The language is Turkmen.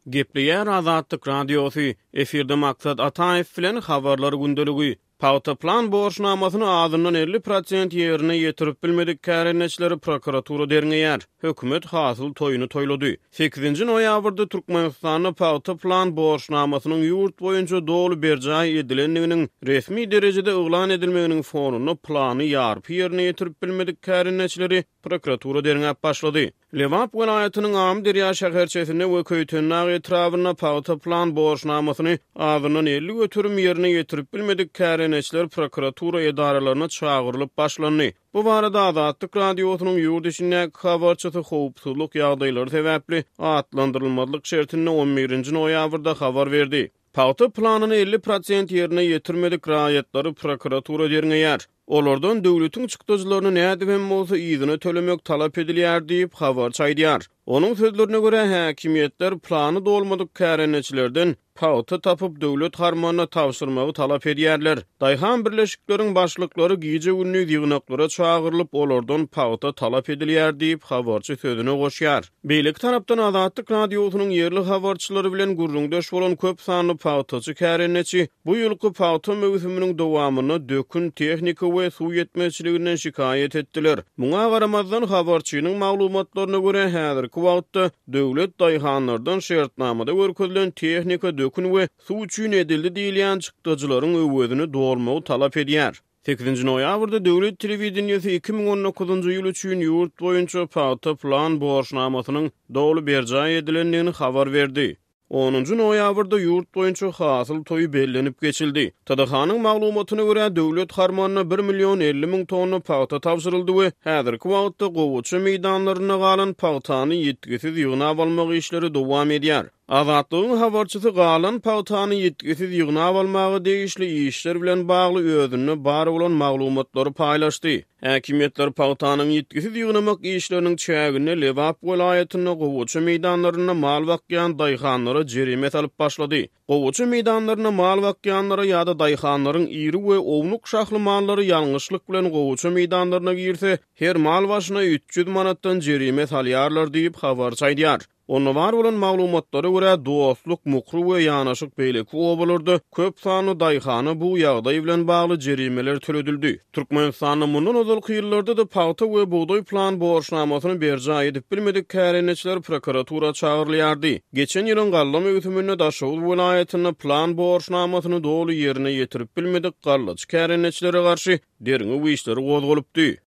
Gepleýär Azatlyk Radiosy, efirde Maksat Ataýew bilen Habarlar gündeligi. Pagta plan borçnamasyny azyndan 50 prosent ýerine ýetirip bilmedik kärendeçileri prokuratura derňeýär. Hökümet hasyl toýuny toýlady. Sekizinji noýabrda Türkmenistanda pagta plan borçnamasynyň ýurt boýunça doly berjaý edilendiginiň resmi derejede yglan edilmeginiň fonunda plany ýarpy ýerine ýetirip bilmedik kärendeçileri prokuratura derňäp başlady. Lebap welaýatynyň Amyderýa şäherçesinde we Köýtendag etrabynda pagta plan borçnamasyny azyndan 50% ýerine ýetirip bilmedik kärendeçiler prokuratura edaralaryna çagyrylyp başlandy. Bu barada Azatlyk Radiosynyň ýurt içindäki habarçysy howpsuzlyk ýagdaýlary sebäpli atlandyrylmazlyk şertinde on birinji noýabrda habar berdi. Pagta planyny 50% ýerine ýetirmedik raýatlary prokuratura derňeýär. Olardan döwletiň çykdajylaryny nädip hem bolsa yzyna tölemek talap edilýär diýip, habarçy aýdýar. Onuň sözlerine görä, häkimiýetler plany dolmadyk kärendeçilerden pagta tapyp, döwlet harmanyna tabşyrmagy talap edýärler. Daýhan birleşikleriň başlyklary gije-gündiz ýygnaklara çagyrylyp, olardan pagta talap edilýär diýip, habarçy sözüne goşýar. Beýleki tarapdan, Azatlyk Radiosynyň ýerli habarçylary bilen gürrüňdeş bolan köp sanly pagtaçy kärendeçi bu ýylky pagta möwsüminiň dowamynda dökün, tehnika we suw ýetmezçiliginden şikaýat etdiler. Muňa garamazdan, habarçynyň maglumatlaryna görä, häzirki wagtda döwlet daýhanlardan şertnamada görkezilen tehnika, dökün we suw üçin edildi diýilýän çykdajylaryň öwezini dolmagy talap edýär. Sekizinji noýabrda döwlet telewideniýesi 2019-njy ýyl üçin ýurt boýunça pagta plan borçnamasynyň doly berjaý edilendigini habar berdi. Onunjy noýabrda ýurt boýunça hasyl toýy bellenip geçildi. TDH-nyň maglumatyna görä, döwlet harmanyna bir million 50 müň tonna pagta tabşyryldy we häzirki wagtda gowaça meýdanlarynda galan pagtany ýitgisiz ýygnap almak işleri dowam edýär. Azatlygyň habarçysy galan pagtany ýitgisiz ýygnap almaga degişli işler bilen bagly özünde bar bolan maglumatlary paýlaşdy. Häkimiýetler pagtanyň ýitgisiz ýygnamak işleriniň çäginde Lebap welaýatynda gowaça meýdanlarynda mal bakýan daýhanlara jerime salyp başlady. Gowaça meýdanlarynda mal bakýanlara ýa-da daýhanlaryň iri we ownuk şahly mallary ýalňyşlyk bilen gowaça meýdanlaryna girse, her mal başyna 300 manatdan jerime salýarlar diýip, habarçy aýdýar. Onda bar bolan maglumatlara görä, Dostluk, Mukry we ýanaşyk beýleki obalarda köp sanly daýhana bu ýagdaý bilen bagly jerimeler töledildi. Türkmenistanda mundan ozalky ýyllarda-da pagta we bugdaý plan borçnamasyny berjaý edip bilmedik kärendeçiler prokuratura çagyrylýardy. Geçen ýylyň galla möwsüminde Daşoguz welaýatynda plan borçnamasyny doly ýerine ýetirip bilmedik gallaçy kärendeçilere garşy derňew işleri gozgalypdy.